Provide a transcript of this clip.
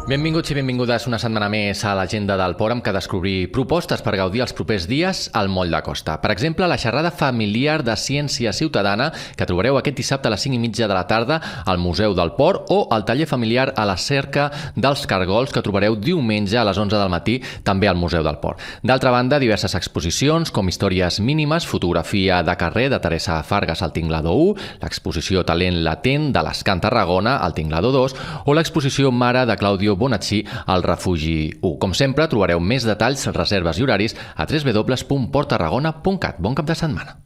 Benvinguts i benvingudes una setmana més a l'Agenda del Port, amb què descobrir propostes per gaudir els propers dies al Moll de Costa. Per exemple, la xerrada familiar de ciència ciutadana que trobareu aquest dissabte a les 5:30 de la tarda al Museu del Port, o el taller familiar a la cerca dels cargols que trobareu diumenge a les 11 del matí també al Museu del Port. D'altra banda, diverses exposicions com Històries mínimes, fotografia de carrer de Teresa Fargas al Tinglado 1, l'exposició Talent latent de l'Escant Tarragona al Tinglado 2 o l'exposició Mare de Claudio Bonacci al Refugi 1. Com sempre, trobareu més detalls, reserves i horaris a www.porttarragona.cat. Bon cap de setmana.